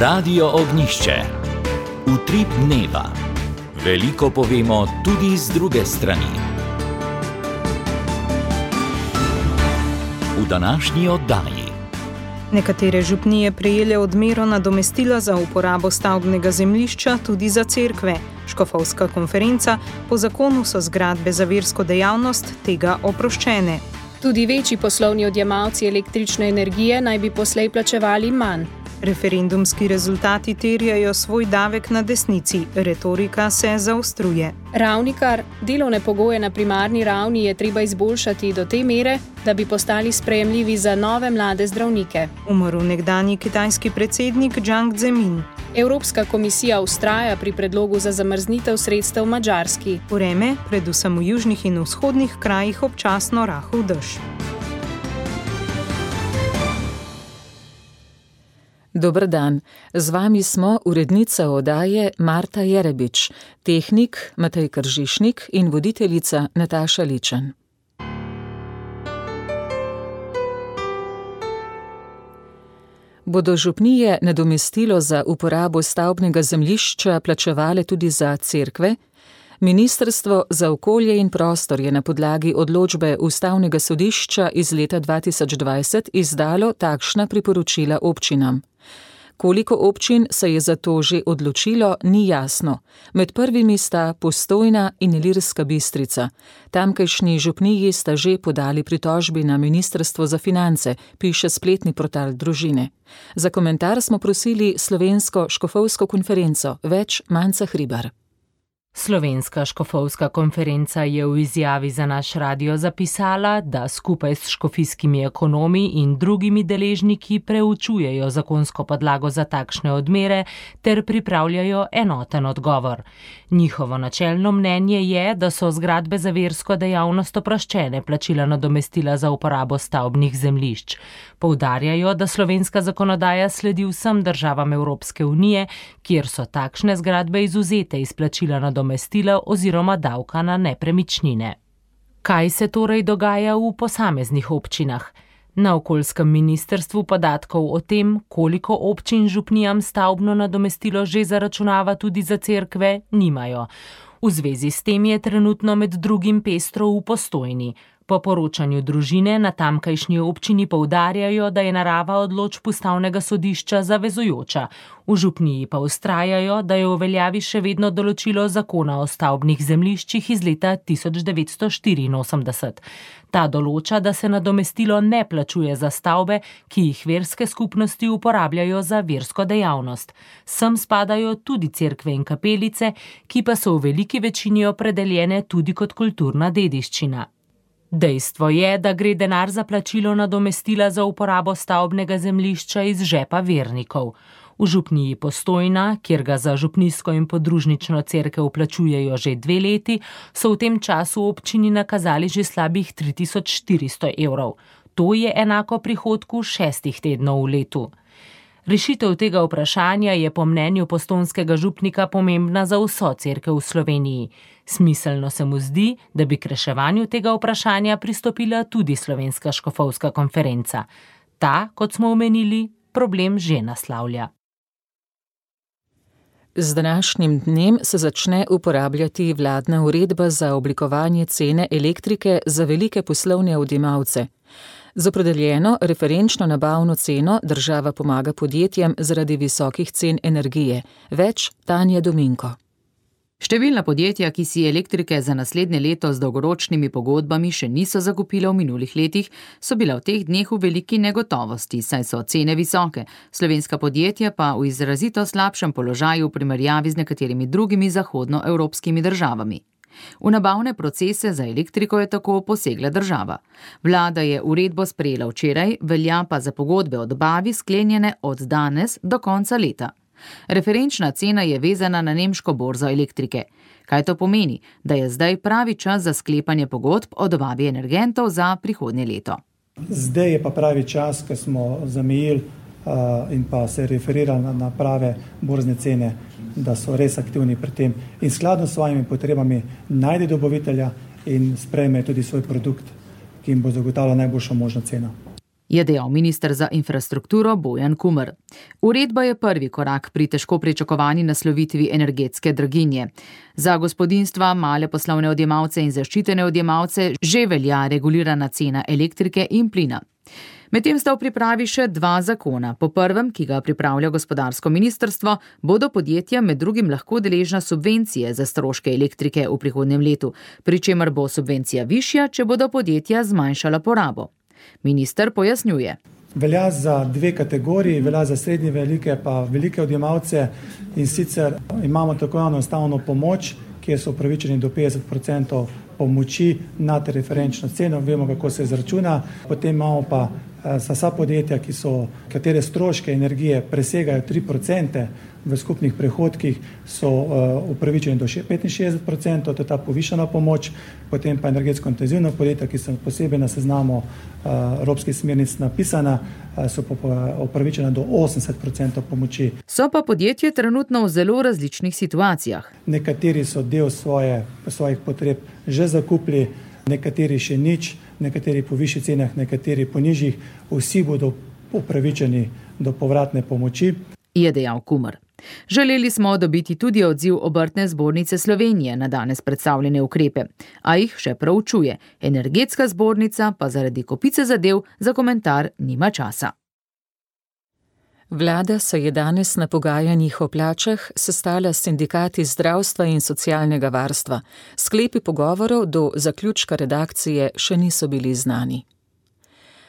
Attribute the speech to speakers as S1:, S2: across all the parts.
S1: Radio Ognjišče. Utrip dneva. Veliko povemo tudi z druge strani. V današnji oddaji.
S2: Nekatere župnije prejele odmero nadomestila za uporabo stavbnega zemljišča tudi za cerkve. Škofovska konferenca, po zakonu so zgradbe za versko dejavnost tega oproščene.
S3: Tudi večji poslovni odjemalci električne energije naj bi poslej plačevali manj.
S2: Referendumski rezultati terjajo svoj davek na desnici, retorika se zaostruje.
S3: Ravnikar, delovne pogoje na primarni ravni je treba izboljšati do te mere, da bi postali sprejemljivi za nove mlade zdravnike.
S2: Umrl nekdanji kitajski predsednik Jiang Zemin.
S3: Evropska komisija vztraja pri predlogu za zamrznitev sredstev Madžarski.
S2: Vreme, predvsem v južnih in vzhodnih krajih občasno rahel dež.
S4: Dober dan, z vami smo urednica oddaje Marta Jerebič, tehnik Matej Kržišnik in voditeljica Nataša Ličen. Bodo župnije nadomestilo za uporabo stavbnega zemljišča plačevale tudi za cerkve? Ministrstvo za okolje in prostor je na podlagi odločbe Ustavnega sodišča iz leta 2020 izdalo takšna priporočila občinam. Koliko občin se je za to že odločilo, ni jasno. Med prvimi sta Postojna in Ilirska Bistrica. Tamkajšnji župniji sta že podali pritožbi na Ministrstvo za finance, piše spletni portal Družine. Za komentar smo prosili Slovensko škofovsko konferenco, več Manca Hribar.
S5: Slovenska škofovska konferenca je v izjavi za naš radio zapisala, da skupaj s škofijskimi ekonomi in drugimi deležniki preučujejo zakonsko podlago za takšne odmere ter pripravljajo enoten odgovor. Njihovo načelno mnenje je, da so zgradbe za versko dejavnost oproščene plačila nadomestila za uporabo stavbnih zemljišč. Poudarjajo, da slovenska zakonodaja sledi vsem državam Evropske unije, kjer so takšne zgradbe izvzete iz plačila nadomestila oziroma davka na nepremičnine. Kaj se torej dogaja v posameznih občinah? Na okoljskem ministrstvu podatkov o tem, koliko občin župnijam stavbno nadomestilo že zaračunava tudi za cerkve, nimajo. V zvezi s tem je trenutno med drugim pestro v Postojni. Po poročanju Družine na tamkajšnji občini poudarjajo, da je narava odločb Ustavnega sodišča zavezujoča. V župniji pa vztrajajo, da je v veljavi še vedno določilo zakona o stavbnih zemljiščih iz leta 1984. Ta določa, da se nadomestilo ne plačuje za stavbe, ki jih verske skupnosti uporabljajo za versko dejavnost. Sem spadajo tudi cerkve in kapelice, ki pa so v veliki večini opredeljene tudi kot kulturna dediščina. Dejstvo je, da gre denar za plačilo nadomestila za uporabo stavbnega zemljišča iz žepa vernikov. V župniji Postojna, kjer ga za župnijsko in podružnično cerkev plačujejo že 2 leti, so v tem času občini nakazali že slabih 3400 evrov. To je enako prihodku 6 tednov v letu. Rešitev tega vprašanja je po mnenju postojnskega župnika pomembna za vso cerkev v Sloveniji. Smiselno se mu zdi, da bi k reševanju tega vprašanja pristopila tudi Slovenska škofovska konferenca. Ta, kot smo omenili, problem že naslavlja.
S4: Z današnjim dnem se začne uporabljati vladna uredba za oblikovanje cene elektrike za velike poslovne odjemalce. Z opredeljeno referenčno nabavno ceno država pomaga podjetjem zaradi visokih cen energije. Več Tanja Dominko.
S6: Številna podjetja, ki si elektrike za naslednje leto z dolgoročnimi pogodbami še niso zakupila v minulih letih, so bila v teh dneh v veliki negotovosti, saj so cene visoke. Slovenska podjetja pa v izrazito slabšem položaju v primerjavi z nekaterimi drugimi zahodnoevropskimi državami. V nabavne procese za elektriko je tako posegla država. Vlada je uredbo sprejela včeraj, velja pa za pogodbe o dobavi sklenjene od danes do konca leta. Referenčna cena je vezana na nemško borzo elektrike. Kaj to pomeni? Da je zdaj pravi čas za sklepanje pogodb o dobavi energentov za prihodnje leto.
S7: Zdaj je pa pravi čas, ko smo zamejili in pa se referirali na prave borzne cene, da so res aktivni pri tem in skladno s svojimi potrebami najde dobavitelja in sprejme tudi svoj produkt, ki jim bo zagotavljal najboljšo možno ceno.
S6: je dejal minister za infrastrukturo Bojan Kumer. Uredba je prvi korak pri težko pričakovani naslovitvi energetske draginje. Za gospodinjstva, male poslovne odjemalce in zaščitene odjemalce že velja regulirana cena elektrike in plina. Medtem sta v pripravi še 2 zakona. Po prvem, ki ga pripravlja gospodarsko ministrstvo, bodo podjetja med drugim lahko deležna subvencije za stroške elektrike v prihodnjem letu, pri čemer bo subvencija višja, če bodo podjetja zmanjšala porabo. Minister pojasnjuje.
S7: Velja za 2 kategoriji, velja za srednje velike pa velike odjemalce, in sicer imamo tako enostavno pomoč, kjer so upravičeni do 50% pomoči nad referenčno ceno, vemo, kako se izračuna. Potem imamo pa za vsa podjetja, katere stroške energije presegajo 3% v skupnih prihodkih, so upravičeni do 65%, to je ta povišana pomoč. Potem pa energetsko intenzivna podjetja, ki so posebej na seznamu evropskih smernic napisana, so pa upravičena do 80% pomoči.
S6: So pa podjetje trenutno v zelo različnih situacijah.
S7: Nekateri so del svojih potreb že zakupili, nekateri še nič, nekateri po višjih cenah, nekateri po nižjih. Vsi bodo upravičeni do povratne pomoči,
S6: je dejal Kumer. Želeli smo dobiti tudi odziv Obrtne zbornice Slovenije na danes predstavljene ukrepe, a jih še proučuje. Energetska zbornica pa zaradi kopice zadev za komentar nima časa.
S4: Vlada se je danes na pogajanjih o plačah sestala s sindikati zdravstva in socialnega varstva. Sklepi pogovorov do zaključka redakcije še niso bili znani.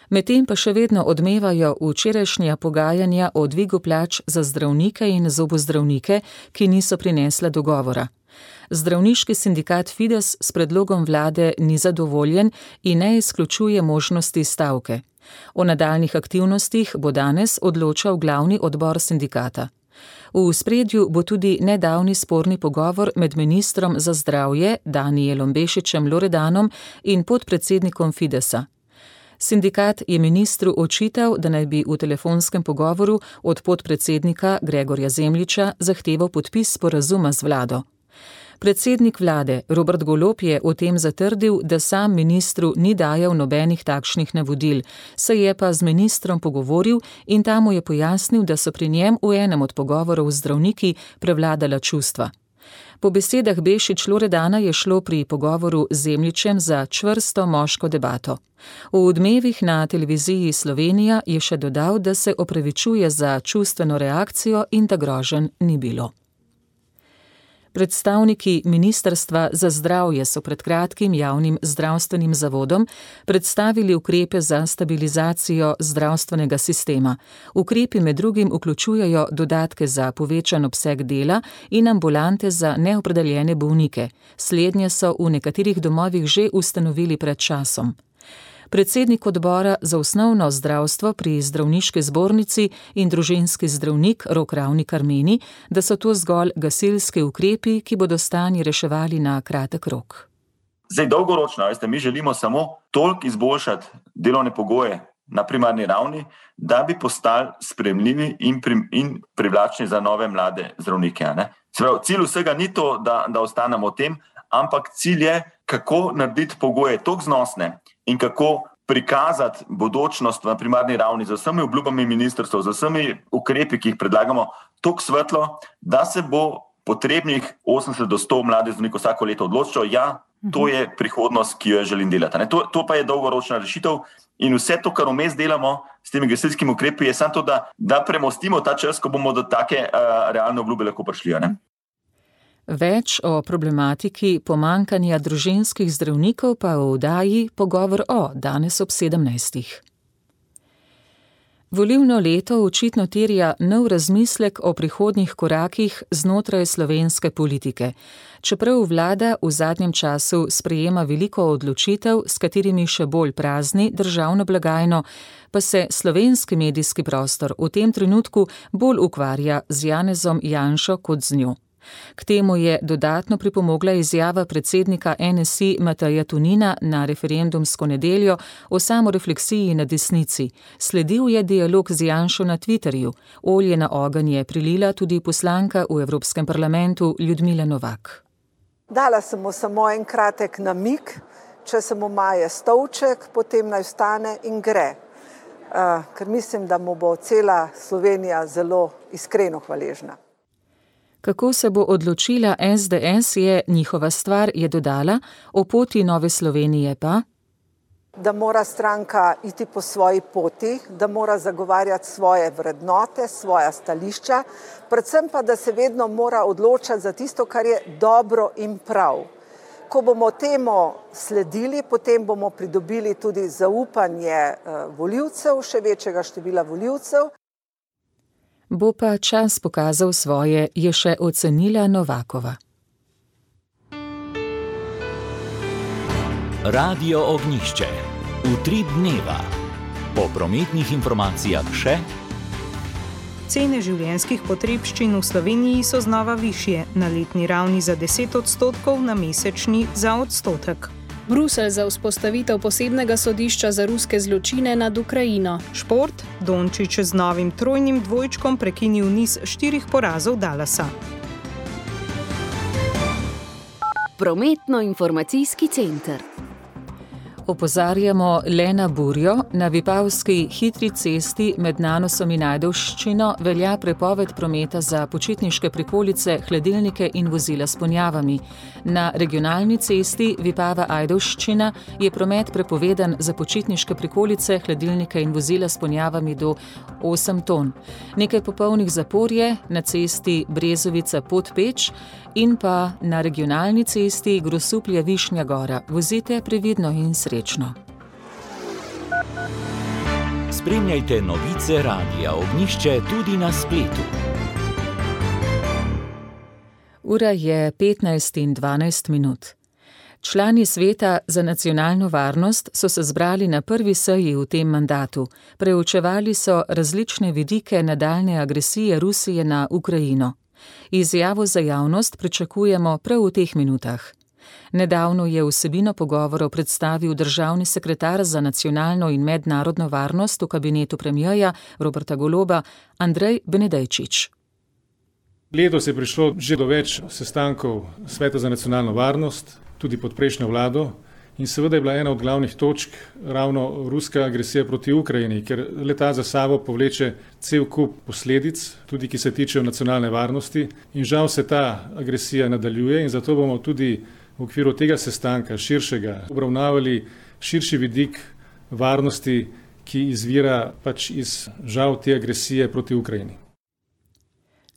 S4: Medtem pa še vedno odmevajo včerajšnja pogajanja o dvigu plač za zdravnike in zobozdravnike, ki niso prinesla dogovora. Zdravniški sindikat Fides s predlogom vlade ni zadovoljen in ne izključuje možnosti stavke. O nadaljnih aktivnostih bo danes odločal glavni odbor sindikata. V ospredju bo tudi nedavni sporni pogovor med ministrom za zdravje Danijelom Bešičem Loredanom in podpredsednikom Fidesa. Sindikat je ministru očital, da naj bi v telefonskem pogovoru od podpredsednika Gregorja Zemljiča zahteval podpis sporazuma z vlado. Predsednik vlade Robert Golob je o tem zatrdil, da sam ministru ni dajal nobenih takšnih navodil, se je pa z ministrom pogovoril in ta mu je pojasnil, da so pri njem v enem od pogovorov z zdravniki prevladala čustva. Po besedah Bešič Loredana je šlo pri pogovoru z Zemljičem za čvrsto moško debato. V Odmevih na televiziji Slovenija je še dodal, da se opravičuje za čustveno reakcijo in da groženj ni bilo. Predstavniki Ministrstva za zdravje so pred kratkim javnim zdravstvenim zavodom predstavili ukrepe za stabilizacijo zdravstvenega sistema. Ukrepi med drugim vključujejo dodatke za povečan obseg dela in ambulante za neopredeljene bolnike. Slednje so v nekaterih domovih že ustanovili pred časom. Predsednik odbora za osnovno zdravstvo pri zdravniški zbornici in družinski zdravnik Rok Ravnikar meni, da so to zgolj gasilski ukrepi, ki bodo stanje reševali na kratek rok.
S8: Zdaj dolgoročno, mi želimo samo toliko izboljšati delovne pogoje na primarni ravni, da bi postali sprejemljivi in privlačni za nove mlade zdravnike. Cilj vsega ni to, da ostanemo v tem, ampak cilj je, kako narediti pogoje toliko znosne in kako prikazati bodočnost na primarni ravni z vsemi obljubami ministrstva, z vsemi ukrepi, ki jih predlagamo, toliko svetlo, da se bo potrebnih 80 do 100 mladih zdravnikov vsako leto odločilo, to je prihodnost, ki jo želim delati. To pa je dolgoročna rešitev in vse to, kar vmes delamo s temi gasilskimi ukrepi, je samo to, da premostimo ta čas, ko bomo do take realne obljube lahko prišli.
S4: Več o problematiki pomanjkanja družinskih zdravnikov pa v oddaji Pogovor danes ob 17. Volilno leto očitno terja nov razmislek o prihodnjih korakih znotraj slovenske politike. Čeprav vlada v zadnjem času sprejema veliko odločitev, s katerimi še bolj prazni državno blagajno, pa se slovenski medijski prostor v tem trenutku bolj ukvarja z Janezom Janšo kot z njo. K temu je dodatno pripomogla izjava predsednika NSI Mateja Tonina na referendumsko nedeljo o samorefleksiji na desnici. Sledil je dialog z Janšo na Twitterju. Olje na ogenj je prilila tudi poslanka v Evropskem parlamentu Ljudmila Novak.
S9: Dala sem mu samo en kratek namig, če se mu maje stolček, potem naj vstane in gre. ker mislim, da mu bo cela Slovenija zelo iskreno hvaležna.
S4: Kako se bo odločila SDS, je njihova stvar, je dodala, o poti Nove Slovenije pa?
S9: Da mora stranka iti po svoji poti, da mora zagovarjati svoje vrednote, svoja stališča, predvsem pa, da se vedno mora odločati za tisto, kar je dobro in prav. Ko bomo temu sledili, potem bomo pridobili tudi zaupanje volivcev, še večjega števila volivcev.
S4: Bo pa čas pokazal svoje, je še ocenila Novakova.
S1: Radio Ognjišče. Utrip dneva. Po prometnih informacijah še.
S2: Cene življenjskih potrebščin v Sloveniji so znova višje, na letni ravni za 10%, na mesečni za 1%.
S3: Bruselj za vzpostavitev posebnega sodišča za ruske zločine nad Ukrajino.
S2: Šport, Dončić z novim trojnim dvojčkom prekinil niz 4 porazov Dallasa.
S10: Prometno-informacijski center.
S4: Opozarjamo le na burjo. Na Vipavski hitri cesti med Nanosom in Ajdovščino velja prepoved prometa za počitniške prikolice, hladilnike in vozila s ponjavami. Na regionalni cesti Vipava-Ajdovščina je promet prepovedan za počitniške prikolice, hladilnike in vozila s ponjavami do 8 ton. Nekaj popolnih zapor je na cesti Brezovica-Podpeč in pa na regionalni cesti Grosuplje-Višnja Gora. Vozite previdno in srečno.
S1: Spremljajte novice Radia Ognjišče tudi na spletu.
S4: Ura je 15:12. Člani Sveta za nacionalno varnost so se zbrali na prvi seji v tem mandatu. Preučevali so različne vidike nadaljne agresije Rusije na Ukrajino. Izjavo za javnost pričakujemo prav v teh minutah. Nedavno je vsebino pogovorov predstavil državni sekretar za nacionalno in mednarodno varnost v kabinetu premierja Roberta Goloba, Andrej Benedejčič.
S11: Letos je prišlo že do več sestankov Sveta za nacionalno varnost, tudi pod prejšnjo vlado, in seveda je bila ena od glavnih točk ravno ruska agresija proti Ukrajini, ker leta za sabo povleče cel kup posledic, tudi ki se tičejo nacionalne varnosti, in žal se ta agresija nadaljuje in zato bomo tudi v okviru tega sestanka širšega obravnavali širši vidik varnosti, ki izvira pač iz žal te agresije proti Ukrajini.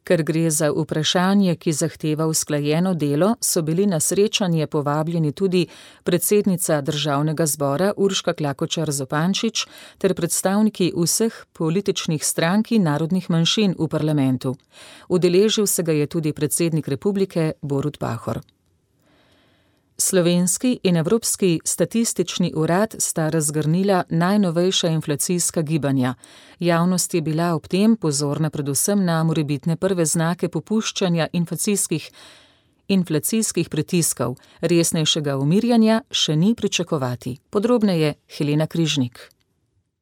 S4: Ker gre za vprašanje, ki zahteva usklajeno delo, so bili na srečanje povabljeni tudi predsednica Državnega zbora Urška Klakočar Zupančič ter predstavniki vseh političnih strank in narodnih manjšin v parlamentu. Udeležil se ga je tudi predsednik republike Borut Pahor. Slovenski in Evropski statistični urad sta razgrnila najnovejša inflacijska gibanja. Javnost je bila ob tem pozorna predvsem na morebitne prve znake popuščanja inflacijskih pritiskov. Resnejšega umirjanja še ni pričakovati. Podrobneje Helena Križnik.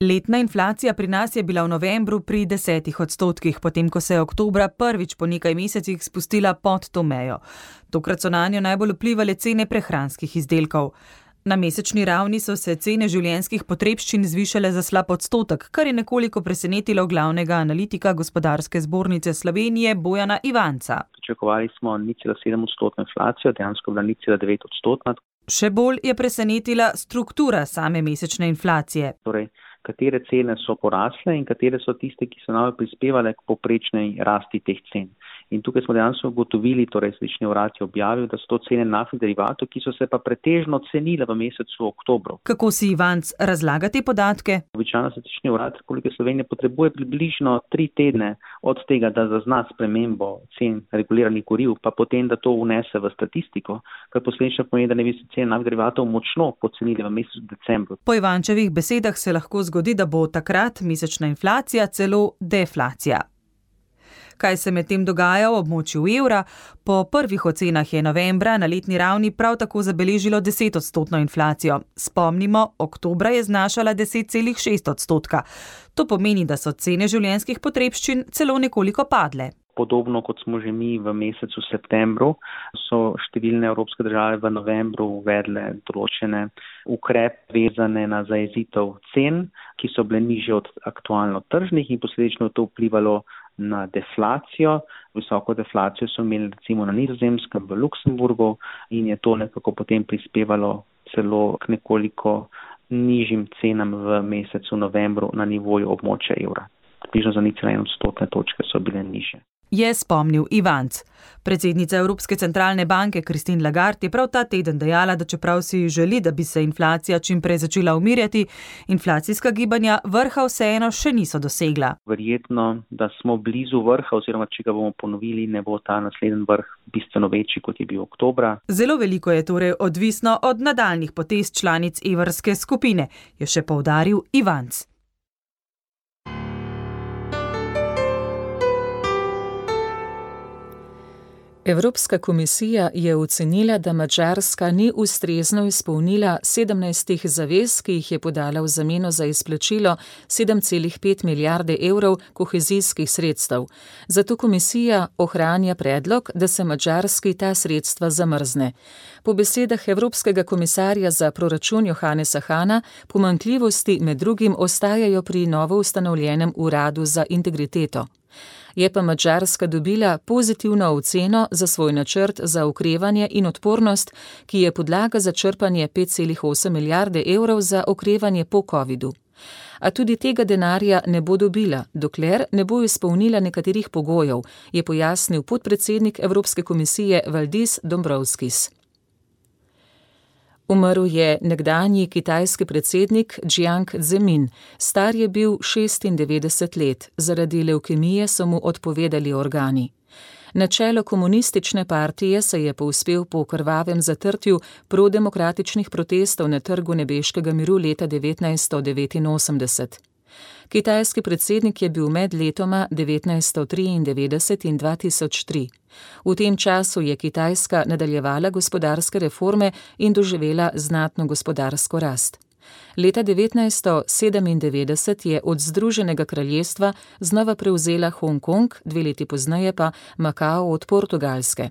S12: Letna inflacija pri nas je bila v novembru pri 10%, potem ko se je oktobra prvič po nekaj mesecih spustila pod to mejo. Tokrat so nanjo najbolj vplivale cene prehranskih izdelkov. Na mesečni ravni so se cene življenjskih potrebščin zvišale za slab odstotek, kar je nekoliko presenetilo glavnega analitika Gospodarske zbornice Slovenije Bojana Ivanca.
S13: Pričakovali smo 0,7% inflacijo, dejansko bila 0,9%.
S12: Še bolj je presenetila struktura same mesečne inflacije.
S13: Torej, katere cene so porasle in katere so tiste, ki so najbolj prispevale k povprečnej rasti teh cen. In tukaj smo dejansko ugotovili, torej Statistični urad je objavil, da so to cene naftnih derivatov, ki so se pa pretežno cenile v mesecu oktobru.
S12: Kako si Ivanc razlaga te podatke?
S13: Običajno Statistični urad Republike Slovenije potrebuje približno 3 tedne od tega, da zazna spremembo cen reguliranih goriv, pa potem, da to vnese v statistiko, kar posledično pomeni, da ne bi se cene naftnih derivatov močno pocenile v mesecu decembru.
S12: Po Ivančevih besedah se lahko zgodi, da bo takrat mesečna inflacija celo deflacija. Kaj se medtem dogaja v območju evra? Po prvih ocenah je novembra na letni ravni prav tako zabeležilo 10% inflacijo. Spomnimo, oktobra je znašala 10,6%. To pomeni, da so cene življenjskih potrebščin celo nekoliko padle.
S13: Podobno kot smo že mi v mesecu septembru, so številne evropske države v novembru uvedle določene ukrepe vezane na zajezitev cen, ki so bile nižje od aktualno tržnih in posledično to vplivalo na deflacijo. Visoko deflacijo so imeli recimo na Nizozemskem, v Luksemburgu in je to nekako potem prispevalo celo k nekoliko nižjim cenam v mesecu novembru na nivoju območja evra. Približno za 0,1 točke so bile nižje.
S12: Je spomnil Ivanc. Predsednica Evropske centralne banke Christine Lagarde je prav ta teden dejala, da čeprav si želi, da bi se inflacija čim prej začela umirjati, inflacijska gibanja vrha vseeno še niso dosegla.
S13: Verjetno, da smo blizu vrha oziroma če ga bomo ponovili, ne bo ta naslednji vrh bistveno večji, kot je bil oktobra.
S12: Zelo veliko je torej odvisno od nadaljnih potez članic evrske skupine, je še poudaril Ivanc.
S4: Evropska komisija je ocenila, da Madžarska ni ustrezno izpolnila 17 zavez, ki jih je podala v zameno za izplačilo 7,5 milijarde evrov kohezijskih sredstev. Zato komisija ohranja predlog, da se Madžarski ta sredstva zamrzne. Po besedah Evropskega komisarja za proračun Johannesa Hahna, pomanjkljivosti med drugim ostajajo pri novo ustanovljenem uradu za integriteto. Je pa Madžarska dobila pozitivno oceno za svoj načrt za okrevanje in odpornost, ki je podlaga za črpanje 5,8 milijarde evrov za okrevanje po covidu. A tudi tega denarja ne bo dobila, dokler ne bo izpolnila nekaterih pogojev, je pojasnil podpredsednik Evropske komisije Valdis Dombrovskis. Umrl je nekdanji kitajski predsednik Jiang Zemin. Star je bil 96 let. Zaradi levkemije so mu odpovedali organi. Na čelo komunistične partije se je povzpel po krvavem zatrtju prodemokratičnih protestov na Trgu nebeškega miru leta 1989. Kitajski predsednik je bil med letoma 1993 in 2003. V tem času je Kitajska nadaljevala gospodarske reforme in doživela znatno gospodarsko rast. Leta 1997 je od Združenega kraljestva znova prevzela Hongkong, 2 leti pozneje pa Makao od Portugalske.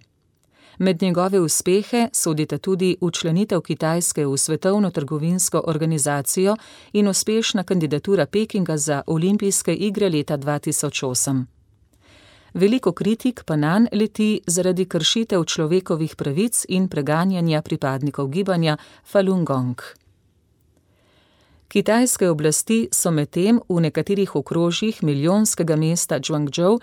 S4: Med njegove uspehe sodita tudi včlanitev Kitajske v Svetovno trgovinsko organizacijo in uspešna kandidatura Pekinga za olimpijske igre leta 2008. Veliko kritik pa nanj leti zaradi kršitev človekovih pravic in preganjanja pripadnikov gibanja Falun Gong. Kitajske oblasti so medtem v nekaterih okrožjih milijonskega mesta Guangzhou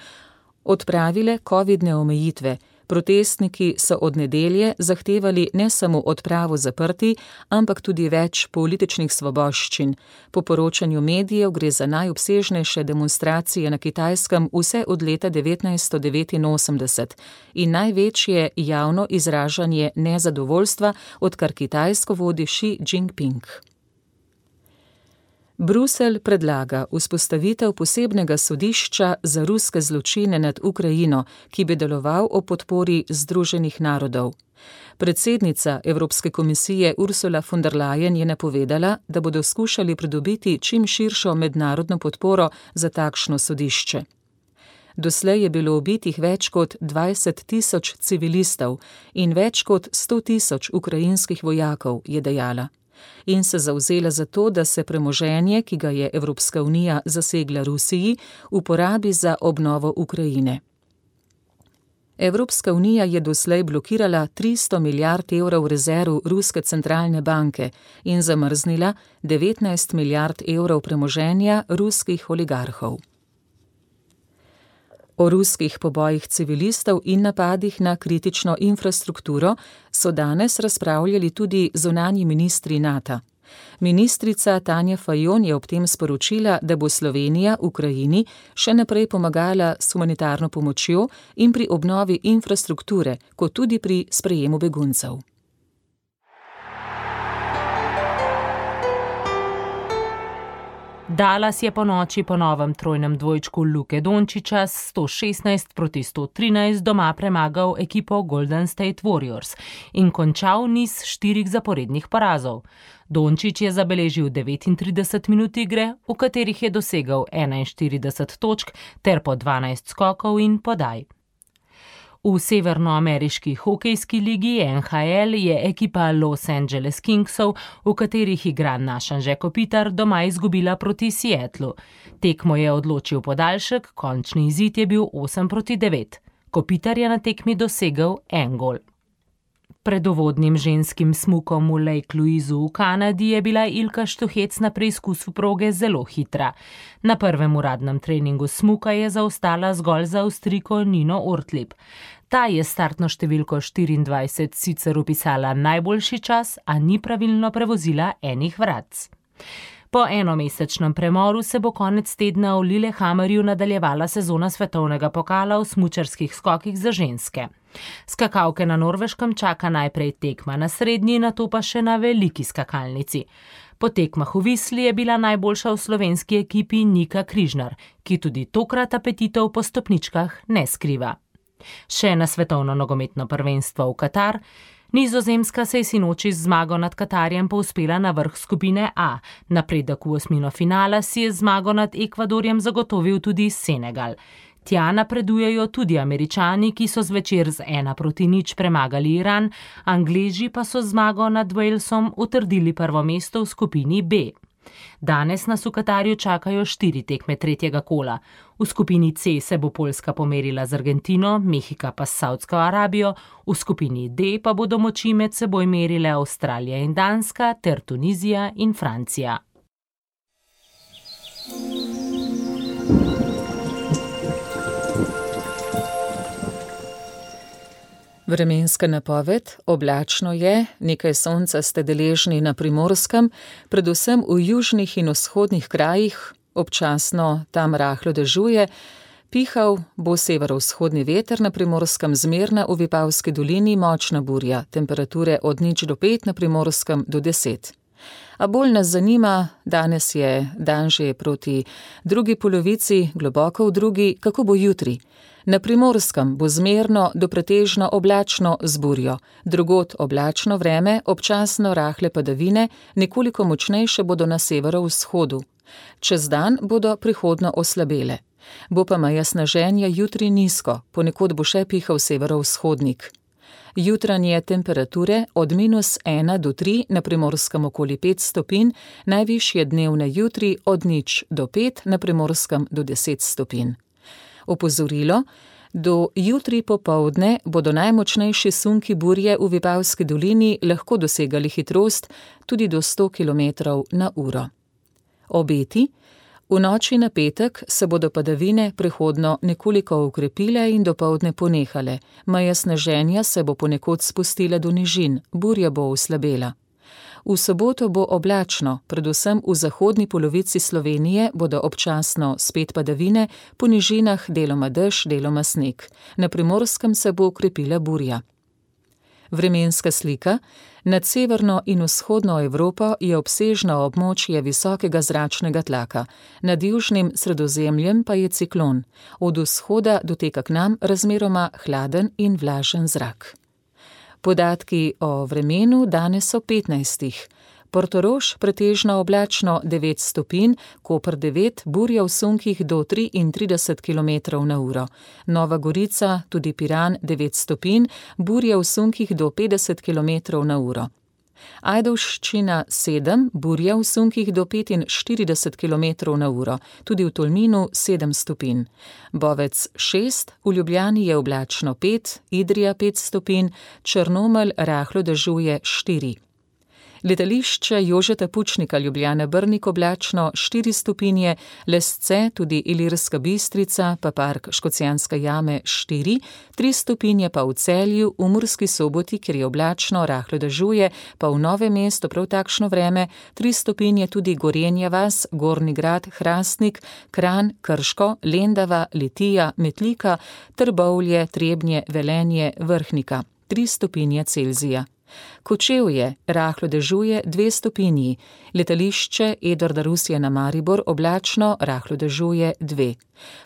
S4: odpravile covidne omejitve. Protestniki so od nedelje zahtevali ne samo odpravo zaprti, ampak tudi več političnih svoboščin. Po poročanju medijev gre za najobsežnejše demonstracije na Kitajskem vse od leta 1989 in največje javno izražanje nezadovoljstva, odkar Kitajsko vodi Xi Jinping. Bruselj predlaga vzpostavitev posebnega sodišča za ruske zločine nad Ukrajino, ki bi deloval o podpori Združenih narodov. Predsednica Evropske komisije Ursula von der Leyen je napovedala, da bodo skušali pridobiti čim širšo mednarodno podporo za takšno sodišče. Doslej je bilo ubitih več kot 20,000 civilistov in več kot 100,000 ukrajinskih vojakov, je dejala. In se zavzela za to, da se premoženje, ki ga je Evropska unija zasegla Rusiji, uporabi za obnovo Ukrajine. Evropska unija je doslej blokirala 300 milijard evrov rezerv Ruske centralne banke in zamrznila 19 milijard evrov premoženja ruskih oligarhov. O ruskih pobojih civilistov in napadih na kritično infrastrukturo so danes razpravljali tudi zunanji ministri NATO. Ministrica Tanja Fajon je ob tem sporočila, da bo Slovenija Ukrajini še naprej pomagala s humanitarno pomočjo in pri obnovi infrastrukture, kot tudi pri sprejemu beguncev.
S5: Dallas je po noči po novem trojnem dvojčku Luke Dončića s 116-113 doma premagal ekipo Golden State Warriors in končal niz 4 zaporednih porazov. Dončić je zabeležil 39 minut igre, v katerih je dosegel 41 točk ter po 12 skokov in podaj. V severnoameriški hokejski ligi NHL je ekipa Los Angeles Kingsov, v katerih igra naš Anže Kopitar, doma izgubila proti Seattlu. Tekmo je odločil podaljšek, končni izid je bil 8-9. Kopitar je na tekmi dosegel 1 gol. Pred uvodnim ženskim smukom v Lake Louisu v Kanadi je bila Ilka Štuhec na preizkusu proge zelo hitra. Na prvem uradnem treningu smuka je zaostala zgolj za Avstrijko Nino Ortlieb. Ta je startno številko 24 sicer vpisala najboljši čas, a ni pravilno prevozila enih vratc. Po enomesečnem premoru se bo konec tedna v Lillehammerju nadaljevala sezona svetovnega pokala v smučarskih skokih za ženske. Skakalke na Norveškem čaka najprej tekma na srednji, nato pa še na veliki skakalnici. Po tekmah v Visli je bila najboljša v slovenski ekipi Nika Križnar, ki tudi tokrat apetitov po stopničkah ne skriva. Še na svetovno nogometno prvenstvo v Katar. Nizozemska se je sinoči z zmago nad Katarjem povzpela na vrh skupine A. Napredek v osmino finala si je zmago nad Ekvadorjem zagotovil tudi Senegal. Tja napredujejo tudi Američani, ki so zvečer z 1-0 premagali Iran, Angleži pa so zmago nad Walesom utrdili prvo mesto v skupini B. Danes nas v Katarju čakajo 4 tekme tretjega kola. V skupini C se bo Poljska pomerila z Argentino, Mehika pa s Saudsko Arabijo, v skupini D pa bodo moči med seboj merile Avstralija in Danska ter Tunizija in Francija.
S4: Vremenska napoved: oblačno je, nekaj sonca ste deležni na Primorskem, predvsem v južnih in vzhodnih krajih, občasno tam rahlo dežuje, pihal bo severovzhodni veter, na Primorskem zmerna, v Vipavski dolini močna burja, temperature od 0 do 5, na Primorskem do 10. A bolj nas zanima, danes je dan že proti drugi polovici, globoko v drugi, kako bo jutri. Na Primorskem bo zmerno do pretežno oblačno z burjo, drugod oblačno vreme, občasno rahle padavine, nekoliko močnejše bodo na severovzhodu. Čez dan bodo prihodno oslabele. Bo pa meja sneženja jutri nizko, ponekod bo še pihal severovzhodnik. Jutranje temperature od -1 do 3, na Primorskem okoli 5 stopinj, najvišje dnevne jutri od 0 do 5, na Primorskem do 10 stopinj. Opozorilo: do jutri popoldne bodo najmočnejši sunki burje v Vipavski dolini lahko dosegali hitrost tudi do 100 km/h. Obeti: v noči na petek se bodo padavine prehodno nekoliko okrepile in dopoldne ponehale, meja sneženja se bo ponekod spustila do nižin, burja bo oslabela. V soboto bo oblačno, predvsem v zahodni polovici Slovenije bodo občasno spet padavine, po nižinah deloma dež, deloma sneg. Na Primorskem se bo okrepila burja. Vremenska slika: nad severno in vzhodno Evropo je obsežno območje visokega zračnega tlaka, nad južnim Sredozemljem pa je ciklon. Od vzhoda doteka k nam razmeroma hladen in vlažen zrak. Podatki o vremenu danes o 15. Portorož pretežno oblačno 9 stopinj, Koper 9, burja v sunkih do 33 km/h. Nova Gorica, tudi Piran 9 stopinj, burja v sunkih do 50 km/h. Ajdovščina 7, burja v sunkih do 45 km/h, tudi v Tolminu 7 stopinj. Bovec 6, v Ljubljani je oblačno 5, Idrija 5 stopinj, Črnomelj rahlo dežuje 4. Letališče Jožeta Pučnika Ljubljana Brnik oblačno 4 stopinje, Lesce, tudi Ilirska Bistrica, pa park Škocjanske jame 4, 3 stopinje pa v Celju, v Murski Soboti, kjer je oblačno, rahlo dežuje, pa v Novem mestu prav takšno vreme, 3 stopinje tudi Gorenja vas, Gornji Grad, Hrastnik, Kranj, Krško, Lendava, Litija, Metlika, Trbovlje, Trebnje, Velenje, Vrhnika, 3 stopinje Celzija. Kočevje, rahlo dežuje 2 stopinji, letališče Edvarda Rusija na Maribor oblačno, rahlo dežuje 2.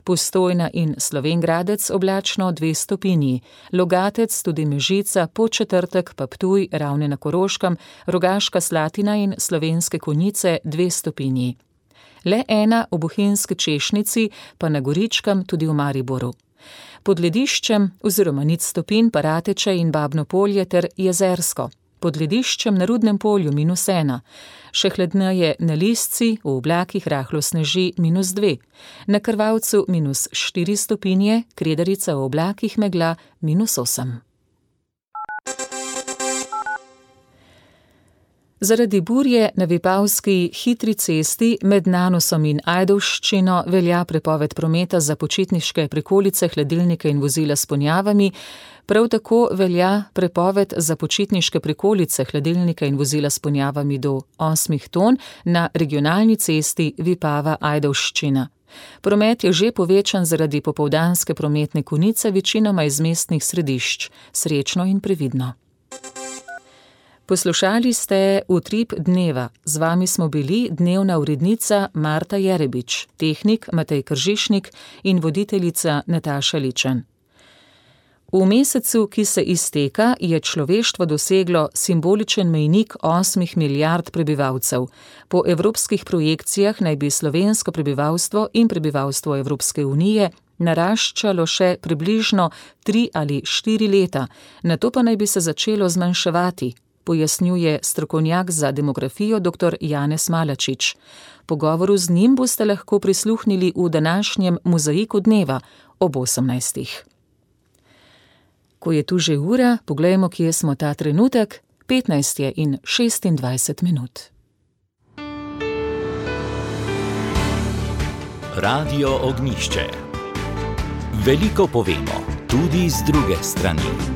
S4: Postojna in Slovenj Gradec oblačno 2 stopinji, Logatec, tudi Mežica, Podčetrtek pa Ptuj, Ravne na Koroškem, Rogaška Slatina in Slovenske Konjice 2 stopinji. Le 1 v Bohinjski Češnici, pa na Goričkem, tudi v Mariboru. Pod lediščem oziroma 0 stopinj pa Rateče in Babno Polje ter Jezersko. Pod lediščem na Rudnem polju -1. Še hladneje na Lisci, v oblakih rahlo sneži -2. Na Krvavcu -4 stopinje, Kredarica v oblakih megla -8. Zaradi burje na Vipavski hitri cesti med Nanosom in Ajdovščino velja prepoved prometa za počitniške prikolice, hladilnike in vozila s ponjavami. Prav tako velja prepoved za počitniške prikolice, hladilnike in vozila s ponjavami do 8 ton na regionalni cesti Vipava-Ajdovščina. Promet je že povečan zaradi popoldanske prometne konice, večinoma iz mestnih središč. Srečno in previdno. Poslušali ste Utrip dneva. Z vami smo bili dnevna urednica Marta Jerebič, tehnik Matej Kržišnik in voditeljica Nataša Ličen. V mesecu, ki se izteka, je človeštvo doseglo simboličen mejnik 8 milijard prebivalcev. Po evropskih projekcijah naj bi slovensko prebivalstvo in prebivalstvo Evropske unije naraščalo še približno 3 ali 4 leta, nato pa naj bi se začelo zmanjševati, pojasnjuje strokovnjak za demografijo dr. Janez Malačič. Pogovoru z njim boste lahko prisluhnili v današnjem Mozaiku dneva ob 18. Ko je tu že ura, poglejmo, kje smo ta trenutek, 15:26.
S1: Radio Ognjišče. Veliko povemo, tudi z druge strani.